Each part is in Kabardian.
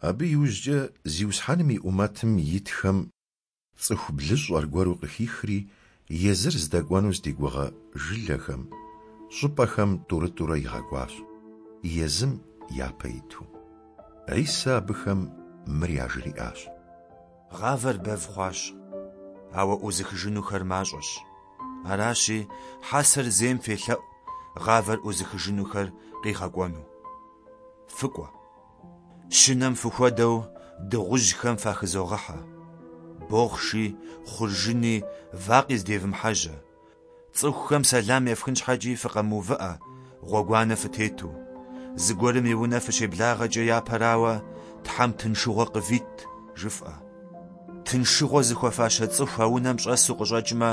Абы иужькӏэ Зиусхьэным и ӏумэтым итхэм цӏыху блыщӏ аргуэру къыхихри, езыр здэкӏуэну здигугъэ жылэхэм, щӏыпӏэхэм тӏурытӏурэ игъэкӏуащ, езым япэ иту. Хьисэ абыхэм мыр яжриӏащ. Гъавэр бэв хъуащ, ауэ ӏузыхыжынухэр мащӏэщ. Аращи, хьэсэр зейм фелъэӏу гъавэр ӏузыхыжынухэр къигъэкӏуэну. Фыкӏуэ. Щынэм фыхуэдэу дыгъужьхэм фахызогъыхьэ. Бохъши, хъуржыни, вакъи здевмыхьэжьэ. Цӏыхухэм сэлам ефхын щхьэкӏи фыкъэмыувыӏэ, гъуэгуанэ фытету. Зыгуэрым и унэ фыщеблагъэкӏэ япэрауэ, Тхьэм тыншыгъуэ къывит, жыфӏэ. Тыншыгъуэ зыхуэфащэ цӏыху а унэм щӏэсу къыщӏэкӏмэ,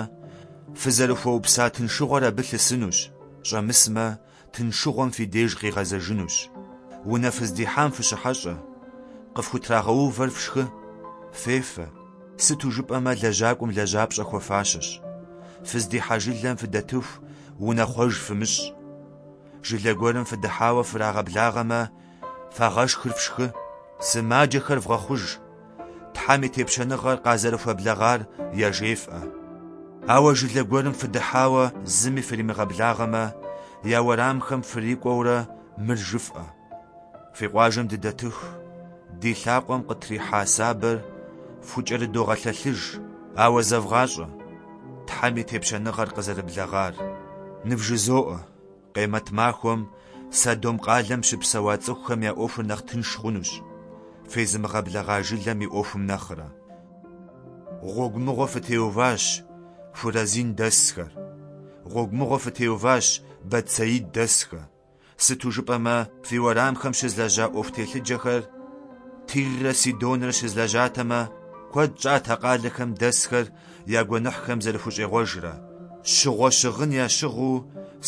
фызэрыхуэупса тыншыгъуэр абы лъысынущ, щӏэмысмэ, тыншыгъуэм фи деж къигъэзэжынущ. Унэ фыздихьам фыщыхьэщӏэ, къыфхутрагъэувэр фшхы, фефэ, сыту жыпӏэмэ лэжьакӏуэм лэжьапщӏэ хуэфащэщ. Фыздихьа жылэм фыдэтыху унэхъуэж фымыщӏ. Жылэ гуэрым фыдыхьауэ фрагъэблагъэмэ, фагъэшхыр фшхы, сымаджэхэр вгъэхъуж, Тхьэм и тепщэныгъэр къазэрыхуэблэгъар яжефӏэ. Ауэ жылэ гуэрым фыдыхьауэ зыми фримыгъэблагъэмэ, я уэрамхэм фрикӏуэурэ мыр жыфӏэ: Фи къуажэм дыдэтыху, ди лъакъуэм къытрихьа сабэр фхукӏэрыдогъэлъэлъыж, ауэ зэвгъащӏэ, Тхьэм и тепщэныгъэр къызэрыблэгъар. Нывжызоӏэ, Къемэт махуэм Содом къалэм щыпсэуа цӏыхухэм я ӏуэхур нэхъ тынш хъунущ, фезымыгъэблэгъа жылэм и ӏуэхум нэхърэ. Гъуэгу мыгъуэ фытеуващ, Хуразин дэсхэр. Гъуэгу мыгъуэ фытеуващ, Бэтсаид дэсхэ. Сыту жыпӏэмэ, фи уэрамхэм щызлэжьа ӏуэху телъыджэхэр Тиррэ Сидонрэ щызлэжьатэмэ, куэд щӏат а къалэхэм дэсхэр я гуэныхьхэм зэрыхущӏегъуэжрэ, щыгъуэ щыгъын ящыгъыу,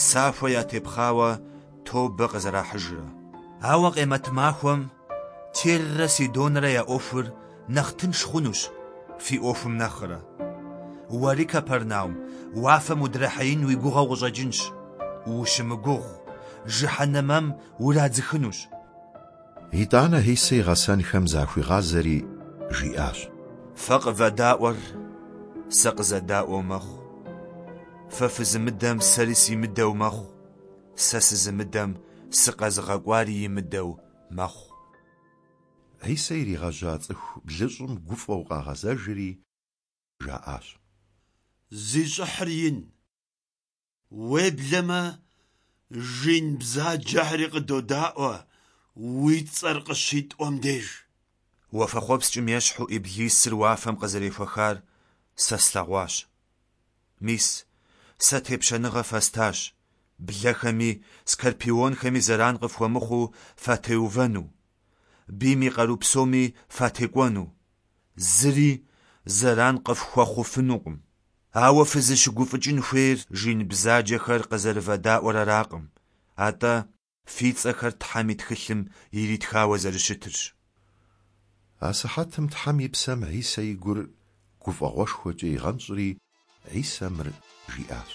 сахуэ ятепхъауэ тобэ къызэрахьыжрэ. Ауэ къемэт махуэм Тиррэ Сидонрэ я ӏуэхур нэхъ тынш хъунущ фи ӏуэхум нэхърэ. Уэри, Кэпэрнаум, уафэм удрахьеин уи гугъэу къыщӏэкӏынщ. Ущымыгугъ, жыхьэнэмэм урадзыхынущ. Итӏанэ Хьисэ и гъэсэнхэм захуигъазэри, жиӏащ. Фэ къывэдаӏуэр сэ къызэдаӏуэу мэхъу. Фэ фызымыдэм сэри симыдэу мэхъу, сэ сызымыдэм сыкъэзыгъэкӏуари имыдэу мэхъу. Хьисэ иригъэжьа цӏыху блыщӏым гуфӏэу къагъэзэжри, жаӏащ. Зи щӏыхьыр ин, уеблэмэ жин бзаджэхэри къыдодаӏуэ уи цӏэр къыщитӏуэм деж. Уафэхъуэпскӏым ещхьу Иблисыр уафэм къызэрехуэхар сэ слъэгъуащ. Мис, сэ тепщэныгъэ фэстащ, блэхэми скорпионхэми зэран къыфхуэмыхъуу фатеувэну, бийм и къару псоми фатекӏуэну. Зыри зэран къыфхуэхъуфынукъым. Ауэ фызыщыгуфӏыкӏын хуейр жин бзаджэхэр къызэрывэдаӏуэр аракъым, атӏэ фи цӏэхэр Тхьэм и тхылъым иритхауэ зэрыщытырщ. Асыхьэтым Тхьэм и Псэм Хьисэ и гур гуфӏэгъуэшхуэкӏэ игъэнщӏри, Хьисэ мыр жиӏащ.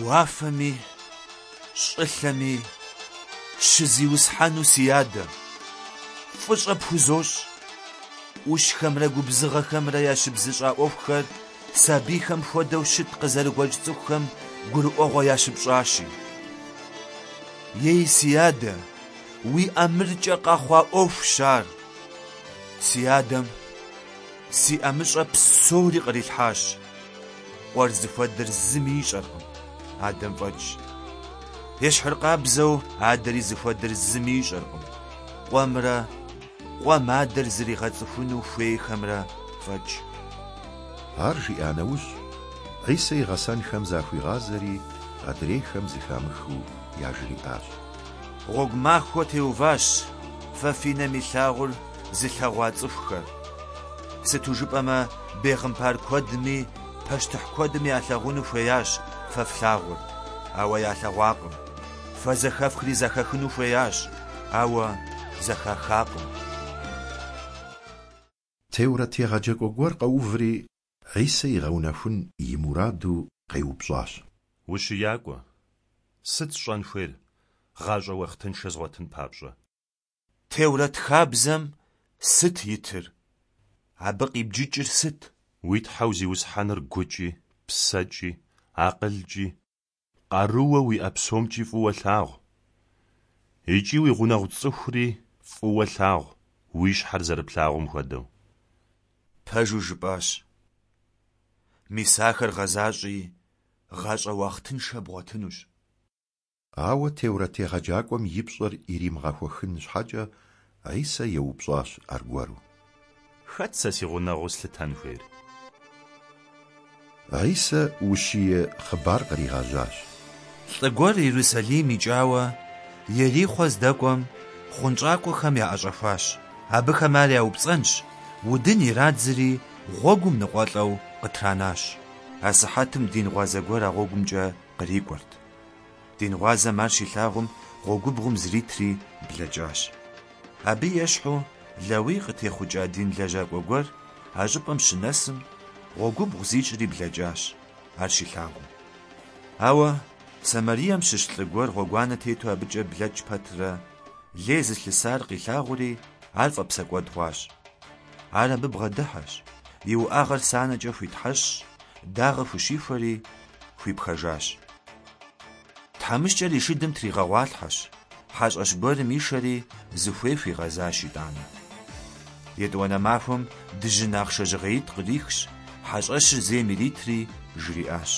Уафэми щӏылъэми щызиусхьэну си Адэ, фӏыщӏэ пхузощӏ. ӏущхэмрэ губзыгъэхэмрэ ящыбзыщӏа ӏуэхухэр сабийхэм хуэдэу щыт къызэрыгуэкӏ цӏыхухэм гурыӏуэгъуэ ящыпщӏащи. Ей, си Адэ, уи ӏэмыркӏэ къэхъуа ӏуэхущ ар. Си Адэм си ӏэмыщӏэ псори кърилъхьащ. Къуэр зыхуэдэр зыми ищӏэркъым, Адэм фӏэкӏ. Ещхьыркъабзэу Адэри зыхуэдэр зыми ищӏэркъым, Къуэмрэ Къуэм Адэр зригъэцӏыхуну хуейхэмрэ фӏэкӏ. Ар жиӏа нэужь, Хьисэ и гъэсэнхэм захуигъазэри, адрейхэм зэхамыхыу яжриӏащ. Гъуэгу махуэ теуващ фэ фи нэм илъагъур зылъэгъуа цӏыхухэр. Сыту жыпӏэмэ, бегъымбар куэдми пащтыхь куэдми ялъагъуну хуеящ фэ флъагъур, ауэ ялъэгъуакъым. Фэ зэхэфхри зэхахыну хуеящ, ауэ зэхахакъым. Теурэт егъэджакӏуэ гуэр къэуври, Хьисэ игъэунэхун и мураду къеупщӏащ. Ущиякӏуэ, сыт сщӏэн хуейр, гъащӏэ уахътыншэ згъуэтын папщӏэ? Теурэт хабзэм сыт итыр? Абы къибджыкӏыр сыт? Уи Тхьэу Зиусхьэныр гукӏи, псэкӏи, акъылкӏи, къарууэ уиӏэ псомкӏи фӏыуэ лъагъу. Икӏи уи гъунэгъу цӏыхури фӏыуэ лъагъу, уи щхьэр зэрыплъагъум хуэдэу. Пэжу жыпӏащ. Мис ахэр гъэзащӏи, гъащӏэ уахътыншэ бгъуэтынущ. Ауэ теурэт егъэджакӏуэм и пщӏэр иримыгъэхуэхын щхьэкӏэ, Хьисэ еупщӏащ аргуэру. Хэт сэ си гъунэгъуу слъытэн хуейр? Хьисэ ущие хъыбар къригъэжьащ. Лӏы гуэр Ерусалим икӏауэ, Ерихъуэ здэкӏуэм, хъунщӏакӏуэхэм яӏэщӏэхуащ. Абыхэм ар яупцӏэнщ, удын ирадзри, гъуэгум ныкъуэлӏэу къытранащ. Асыхьэтым дин гъуазэ гуэр а гъуэгумкӏэ кърикӏуэрт. Дин гъуазэм ар щилъагъум, гъуэгубгъум зритри блэкӏащ. Абы ещхьу, Лэуий къытехъукӏа дин лэжьакӏуэ гуэр а щӏыпӏэм щынэсым, гъуэгубгъу зищӏри блэкӏащ, ар щилъагъум. Ауэ Самарием щыщ лӏы гуэр гъуэгуанэ тету абыкӏэ блэкӏ пэтрэ, лей зылъысар къилъагъури, ар фӏэпсэкӏуэд хъуащ. Ар абы бгъэдыхьэщ, и уӏэгъэр санэкӏэ хуитхьэщӏщ, дагъэ хущихуэри, хуипхэжащ. Тхьэмыщкӏэр и шыдым тригъэгъуалъхьэщ, хьэщӏэщ гуэрым ишэри, зыхуей хуигъэзащ итӏанэ. Етӏуанэ махуэм дыжьын ахъшэ жьгъеитӏ кърихщ, хьэщӏэщыр зейм иритри, жриӏащ: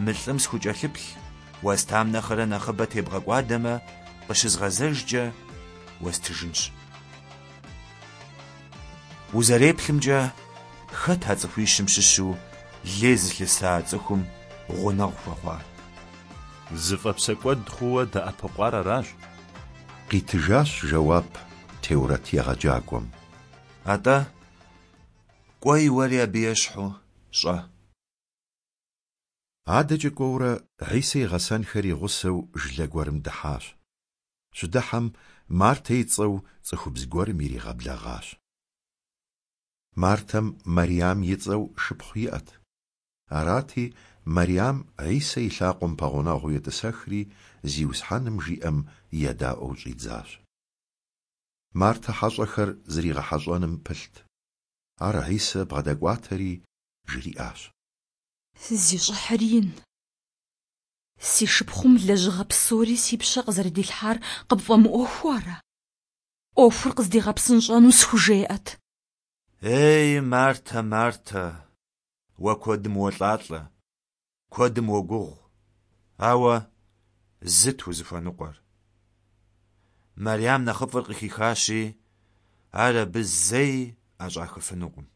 Мы лӏым схукӏэлъыплъ, уэстам нэхърэ нэхъыбэ тебгъэкӏуадэмэ, къыщызгъэзэжкӏэ, уэстыжынщ. Узэреплъымкӏэ, хэт а цӏыхуищым щыщу лей зылъыса цӏыхум гъунэгъу хуэхъуар? Зыфӏэпсэкӏуэд хъууэ дэӏэпыкъуар аращ. Къитыжащ жэуап теурэт егъэджакӏуэм. Атӏэ, кӏуэи уэри абы ещхьу щӏэ. Адэкӏэ кӏуэурэ, Хьисэ и гъэсэнхэр и гъусэу жылэ гуэрым дыхьащ. Щыдыхьэм, Мартэ и цӏэу цӏыхубз гуэрым иригъэблэгъащ. Мартэм Мэрям и цӏэу шыпхъу иӏэт. Арати, Мэрям Хьисэ и лъакъуэм пэгъунэгъуу етӏысэхри, Зиусхьэным жиӏэм едаӏуэу щӏидзащ. Мартэ хьэщӏэхэр зригъэхьэщӏэным пылът. Ар Хьисэ бгъэдэкӏуатэри, жриӏащ. Зи щӏыхьыр ин, си шыпхъум лэжьыгъэ псори си пщэ къызэрыдилъхьар къыпфӏэмыӏуэхуу ара? ӏуэхур къыздигъэпсынщӏэну схужеӏэт. Ей, Мартэ, Мартэ, уэ куэдым уолӏалӏэ, куэдым уогугъу, ауэ зыт узыхуэныкъуэр. Мэрям нэхъыфӏыр къыхихащи, ар абы зэи ӏэщӏахыфынукъым.